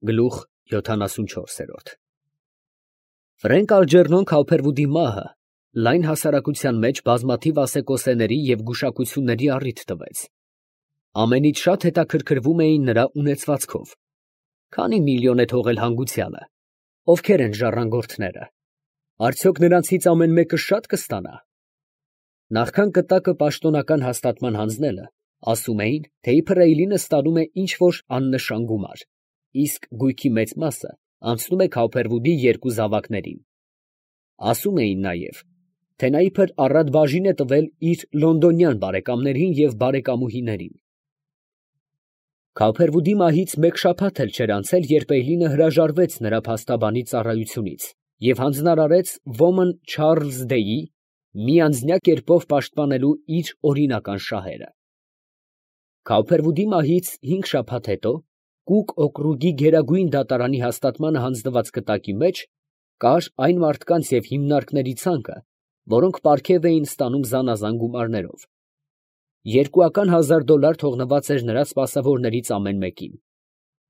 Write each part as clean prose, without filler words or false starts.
Գլուխ 74 Ֆրենկ Ալջերնոն Քավփերվուդի մահը լայն հասարակության մեջ բազմաթիվ ասեկոսեների և գուշակությունների առիթ տվեց. ամենից շատ հետաքրքրվում էին նրա ունեցվածքով, քանի միլիոն է թողել հանգուցյալը, ովքեր են ժառանգորդները, արդյոք նրանցից ամեն մեկը շատ կստանա։ Նախքան կտակը պաշտոնական հաստատման հանձնելը, ասում էին, թե իբր Էյլինը ստանում է ինչ-որ աննշան գումար, իսկ գույքի մեծ մասը անցնում է Քավփերվուդի երկու զավակներին։ Ասում էին նաև, թե նա իբր առատ բաժին է տվել իր լոնդոնյան բարեկամներին և բարեկամուհիներին։ Քավփերվուդի մահից մեկ շաբաթ էլ չէր անցել, երբ Էյլինը հրաժարվեց նրա փաստաբանի ծառայությունից և հանձնարարեց ոմն Չարլզ Դեյի միանձնյա կերպով պաշտպանելու իր օրինական շահերը։ Քավփերվուդի մահից 5 շաբաթ հետո Կուկ օկրուգի գերագույն դատարանի հաստատմանը հանձնված կտակի մեջ կար այն մարդկանց և հիմնարկների ցանկը, որոնք պարգև էին ստանում զանազան գումարներով։ $200,000 թողնված էր նրա սպասավորներից ամեն մեկին,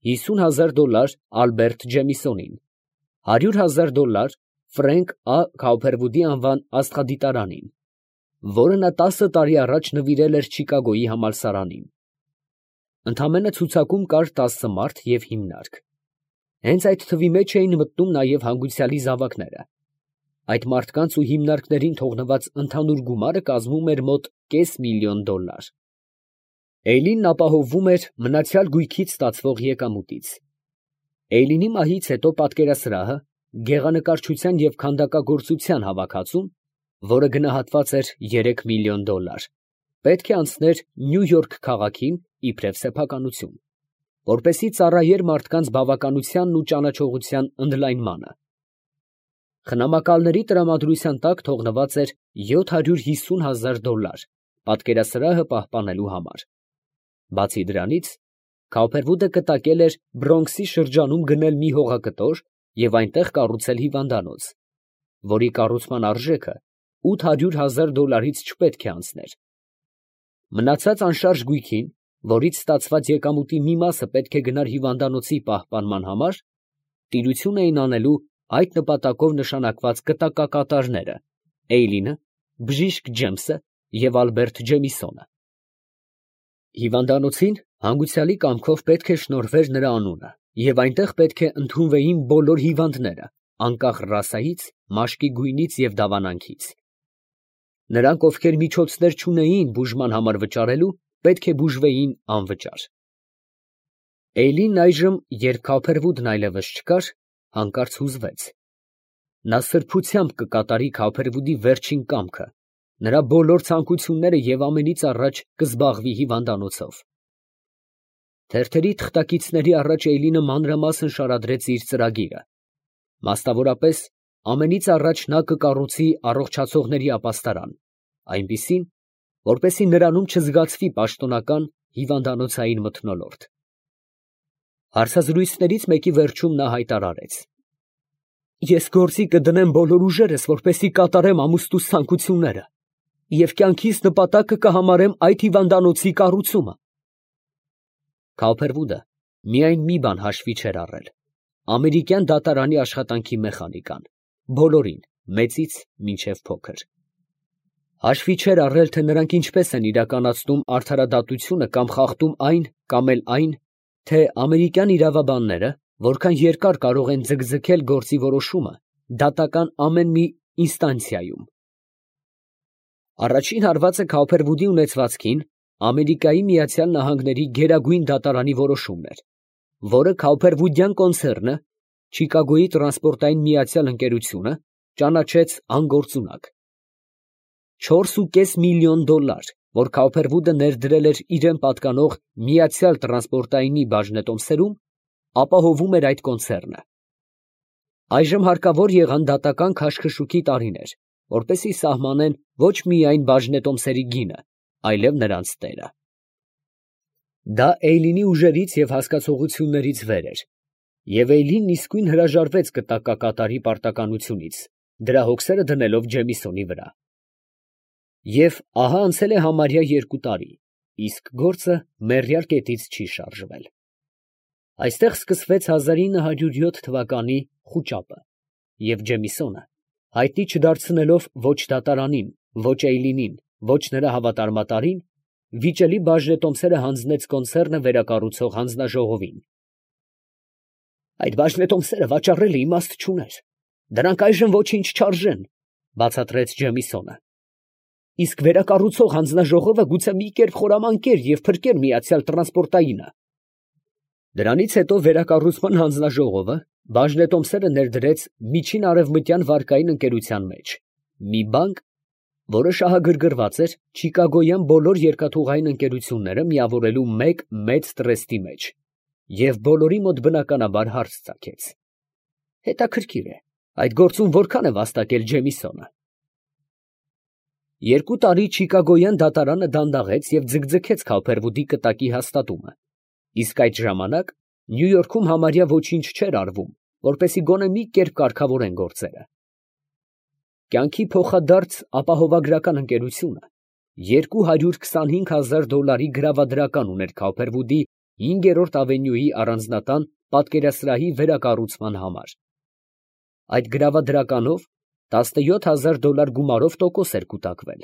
$50,000 Ալբերտ Ջեմիսոնին, $100,000 Ֆրենկ Ա. Քավփերվուդի անվան աստղադիտարանին, որը նա 10 տարի առաջ նվիրել էր Չիկագոյի համալսարանին։ Ընդամենը ցուցակում կար 10 մարդ և հիմնարկ։ Հենց այդ թվի մեջ էին մտնում նաև հանգուցյալի զավակները։ Այդ մարդկանց ու հիմնարկներին թողնված ընդհանուր գումարը կազմում էր մոտ $500,000։ Էյլինն ապահովվում էր մնացյալ գույքից ստացվող եկամուտից։ Էյլինի մահից հետո պատկերասրահը, գեղանկարչության և քանդակագործության հավաքածուն, որը գնահատված էր $3 միլիոն, պետք է անցներ Նյու Յորք քաղաքին իբրև սեփականություն, որպեսզի ծառայեր մարդկանց բավականությանն ու ճանաչողության ընդլայնմանը։ Խնամակալների տրամադրության տակ թողնված էր $750,000 պատկերասրահը պահպանելու համար։ Բացի դրանից, Քավփերվուդը կտակել էր Բրոնքսի շրջանում գնել մի հողակտոր և այնտեղ կառուցել հիվանդանոց, որի կառուցման արժեքը $800,000-ից չպետք է անցներ։ Մնացած անշարժ գույքին, որից ստացված եկամուտի մի մասը պետք է գնար հիվանդանոցի պահպանման համար, տիրություն էին անելու այդ նպատակով նշանակված կտակակատարները՝ Էյլինը, բժիշկ Ջեմսը և Ալբերտ Ջեմիսոնը։ Հիվանդանոցին հանգուցյալի կամքով պետք է շնորհվեր նրա անունը, և այնտեղ պետք է ընդունվեին բոլոր հիվանդները, անկախ ռասայից, մաշկի գույնից և դավանանքից։ Նրանք, ովքեր միջոցներ չունեին բուժման համար վճարելու, պետք է բուժվեին անվճար։ Էյլինն այժմ, երբ Քավփերվուդն այլևս չկար, հանկարծ հուզվեց։ Նա սրբությամբ կկատարի Քավփերվուդի վերջին կամքը, նրա բոլոր ցանկությունները և ամենից առաջ կզբաղվի հիվանդանոցով։ Թերթերի թղթակիցների առաջ Էյլինը մանրամասն շարադրեց իր ծրագիրը, մասնավորապես, ամենից առաջ նա կկառուցի առողջացողների ապաստարան, այնպիսին, որպեսզի նրանում չզգացվի պաշտոնական հիվանդանոցային մթնոլորտ։ Հարցազրույցներից մեկի վերջում նա հայտարարեց. «Ես գործի կդնեմ բոլոր ուժերս, որպեսզի կատարեմ ամուսնուս ցանկությունները և կյանքիս նպատակը կհամարեմ այդ հիվանդանոցի կառուցումը»։ Քավփերվուդը միայն մի բան հաշվի չէր առել. ամերիկյան դատարանի աշխատանքի մեխանիկան, բոլորին, մեծից մինչև փոքր։ Հաշվի չէր առել, թե նրանք ինչպես են իրականացնում արդարադատությունը կամ խախտում այն կամ էլ այն, թե ամերիկյան իրավաբանները որքան երկար կարող են ձգձգել գործի որոշումը դատական ամեն մի ինստանցիայում։ Առաջին հարվածը Քավփերվուդի ունեցվածքին Ամերիկայի Միացյալ Նահանգների գերագույն դատարանի որոշումն էր, որը Քավփերվուդյան կոնցեռնը, Չիկագոյի տրանսպորտային միացյալ ընկերությունը, ճանաչեց անգործունակ։ $4,5 միլիոն, որ Քավփերվուդը ներդրել էր իրան պատկանող Միացյալ տրանսպորտայինի բաժնետոմսերում, ապահովում էր այդ կոնցեռնը։ Այժմ հարկավոր եղան դատական քաշքշուկի տարիներ, որպեսզի սահմանեն ոչ միայն բաժնետոմսերի գինը, այլև նրանց տերը։ Դա Էյլինի ուժերից և հասկացողություններից վեր էր, և Էյլինն իսկույն հրաժարվեց կտակակատարի պարտականությունից, դրա հոգսերը դնելով Ջեմիսոնի վրա։ Եվ ահա անցել է համարյա 2 տարի, իսկ գործը մեռյալ կետից չի շարժվել։ Այստեղ սկսվեց 1907 թվականի խուճապը, և Ջեմիսոնը, հայտնի չդարձնելով ոչ դատարանին, ոչ Էյլինին, ոչ նրա հավատարմատարին, վիճելի բաժնետոմսերը հանձնեց կոնցեռնը վերակառուցող հանձնաժողովին։ «Այդ բաժնետոմսերը վաճառելը իմաստ չուներ, դրանք այժմ ոչինչ չարժեն», բացատրեց Ջեմիսոնը։ «Իսկ վերակառուցող հանձնաժողովը գուցե մի կերպ խորամանկեր և փրկեր միացյալ տրանսպորտայինը»։ Դրանից հետո վերակառուցման հանձնաժողովը բաժնետոմսերը ներդրեց Միջին Արևմտյան վարկային ընկերության մեջ, մի բանկ, որը շահագրգռված էր Չիկագոյան բոլոր երկաթուղային ընկերությունները միավորելու մեկ մեծ տրեստի մեջ, և բոլորի մոտ բնականաբար հարց ծագեց. հետաքրքիր է, այդ գործում որքան է վաստակել Ջեմիսոնը։ 2 տարի Չիկագոյան դատարանը դանդաղեց և ձգձգեց Քոփերվուդի կտակի հաստատումը, իսկ այդ ժամանակ Նյու Յորքում համարյա ոչինչ չէր արվում, որպեսզի գոնե մի կերպ կարգավորեն գործերը։ Կյանքի փոխադարձ ապահովագրական ընկերությունը $225,000 գրավադրական ուներ Քոփերվուդի 5-րդ ավենյուի առանձնատան պատկերասրահի վերակառուցման համար։ Այդ գրավադրականով $17,000 գումարով տոկոս էր կուտակվել։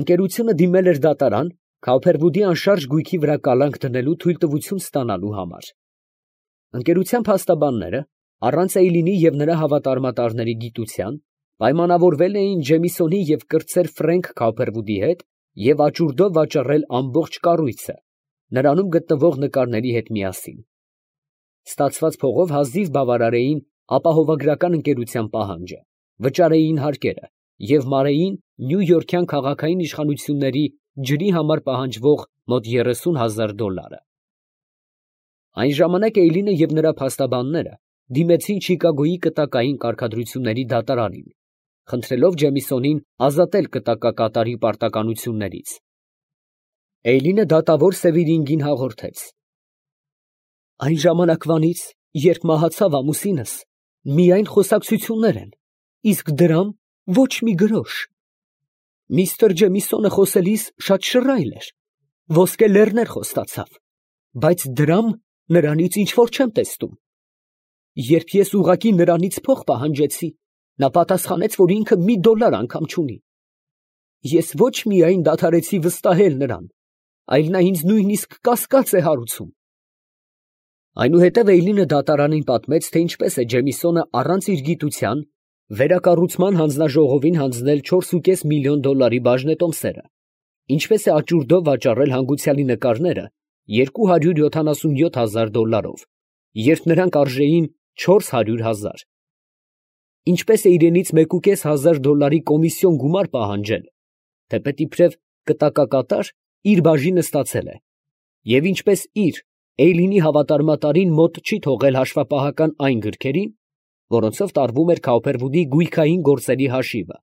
Ընկերությունը դիմել էր դատարան Քոփերվուդի անշարժ գույքի վրա կալանք դնելու թույլտվություն ստանալու համար։ Ընկերության փաստաբանները, առանց Էյլինի և նրա հավատարմատարների գիտության, պայմանավորվել էին Ջեմիսոնի և կրտսեր Ֆրենք Քոփերվուդի հետ և աճուրդով վաճառել ամբողջ կառույցը, նրանում գտնվող նկարների հետ միասին։ Ստացված փողով հազիվ բավարարեին ապահովագրական ընկերության պահանջը, վճարեին հարկերը և մարեին նյույորքյան քաղաքային իշխանությունների ջրի համար պահանջվող մոտ $30,000։ Այն ժամանակ Էյլինը և նրա փաստաբանները դիմեցին Չիկագոյի կտակային կարգադրությունների դատարանին, խնդրելով Ջեմիսոնին ազատել կտակակատարի պարտականություններից։ Էյլինը դատավոր Սևիրինգին հաղորդեց. «Այն ժամանակվանից, երբ մահացավ ամուսինս, միայն խոսակցություններ են, իսկ դրամ ոչ մի գրոշ։ Միսթր Ջեմիսոնը խոսելիս շատ շռայլ էր, ոսկե լեռներ խոստացավ, բայց դրամ նրանից ինչ֊որ չեմ տեսնում։ Երբ ես ուղղակի նրանից փող պահանջեցի, նա պատասխանեց, որ ինքը $1 անգամ չունի։ Ես ոչ միայն դադարեցի վստահել նրան, այլ նա ինձ նույնիսկ կասկած է հարուցում»։ Այնուհետև Էյլինը դատարանին պատմեց, թե ինչպես է Ջեմիսոնը առանց իր գիտության վերակառուցման հանձնաժողովին հանձնել $4,5 միլիոն բաժնետոմսերը, ինչպես է աճուրդով վաճառել հանգուցյալի նկարները $277,000, երբ նրանք արժեին $400,000, ինչպես է իրենից $1,500 կոմիսիոն գումար պահանջել, թեպետ իբրև կտակակատար իր բաժինը ստացել է, և ինչպես իր Էյլինի հավատարմատարին մոտ չի թողել հաշվապահական այն գրքերին, որոնցով տարվում էր Քոփերվուդի գույքային գործերի հաշիվը։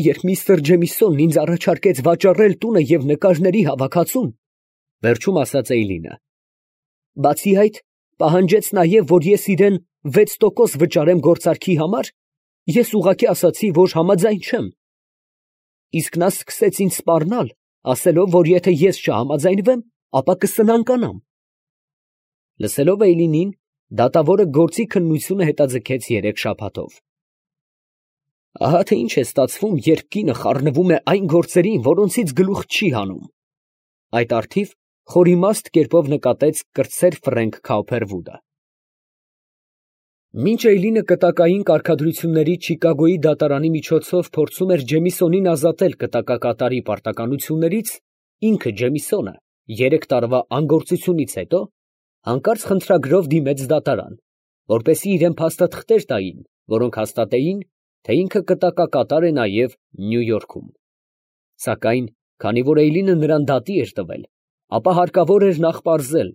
Երբ միսթր Ջեմիսոնն ինձ առաջարկեց վաճառել տունը և նկարների հավաքածուն, վերջում ասաց Էյլինը, բացի այդ, պահանջեց նաև, որ ես իրան 6% վճարեմ գործարքի համար, ես ուղղակի ասացի, որ համաձայն չեմ։ Իսկ նա սկսեց ինձ սպառնալ, ասելով, որ եթե ես չհամաձայնվեմ, ապա կսնանկանամ։ Լսելով Էյլինին, դատավորը գործի քննությունը հետաձգեց 3 շաբաթով։ Ահա թե ինչ է ստացվում, երբ կինը խառնվում է այն գործերին, որոնցից գլուխ չի հանում, այդ առթիվ խորիմաստ կերպով նկատեց կրտսեր Ֆրենք Քոփերվուդը։ Մինչ Էյլինը կտակային կարգադրությունների Չիկագոյի դատարանի միջոցով փորձում էր Ջեմիսոնին ազատել կտակակատարի պարտականություններից, ինքը Ջեմիսոնը 3 տարվա անգործությունից հետո հանկարծ խնդրագրով դիմեց դատարան, որպեսզի իրան փաստաթղթեր տային, որոնք հաստատեին, թե ինքը կտակակատար է նաև Նյու Յորքում։ Սակայն, քանի որ Էյլինը նրան դատի էր տվել, ապա հարկավոր էր նախ պարզել,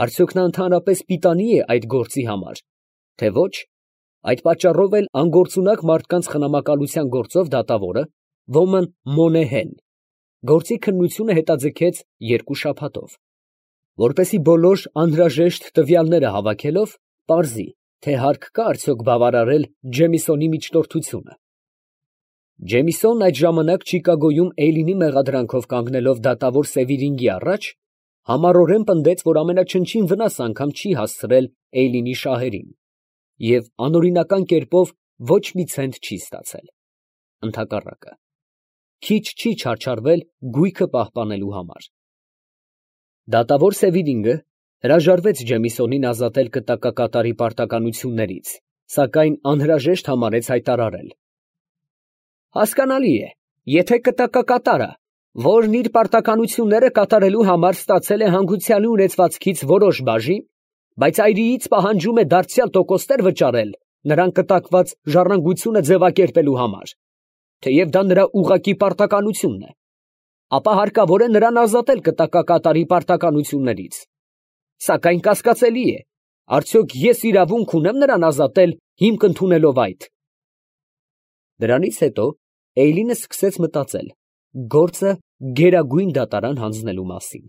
արդյոք նա ընդհանրապես պիտանի է այդ գործի համար, թե ոչ, այդ պատճառով էլ անգործունակ մարդկանց խնամակալության գործով դատավորը Ոմն Մոնեհեն գործի քննությունը հետաձգեց 2 շաբաթով, որպեսզի բոլոր անհրաժեշտ տվյալները հավաքելով պարզի, թե հարկ կա արդյոք բավարարել Ջեմիսոնի միջնորդությունը։ Ջեմիսոնն այդ ժամանակ Չիկագոյում Էյլինի մեղադրանքով կանգնելով դատավոր Սևիրինգի առաջ, համառորեն պնդեց, որ ամենաչնչին վնաս անգամ չի հասցրել Էյլինի շահերին և անօրինական կերպով ոչ մի ցենտ չի ստացել. ընդհակառակը, քիչ չի չարչարվել գույքը պահպանելու համար։ Դատավոր Սեվիլինգը հրաժարվեց Ջեմիսոնին ազատել կտակակատարի պարտականություններից, սակայն անհրաժեշտ համարեց հայտարարել. «Հասկանալի է, եթե կտակակատարը, որն իր պարտականությունները կատարելու համար ստացել է հանգուցյալի ունեցվածքից որոշ բաժին, բայց այրիից պահանջում է դարձյալ տոկոսներ վճարել նրան կտակված ժառանգությունը ձևակերպելու համար, թեև դա նրա ուղղակի պարտականությունն է, ապա հարկավոր է նրան ազատել կտակակատարի պարտականություններից։ Սակայն կասկածելի է, արդյոք ես իրավունք ունեմ նրան ազատել հիմք ընդունելով այդ»։ Դրանից հետո Էյլինը սկսեց մտածել գործը գերագույն դատարան հանձնելու մասին։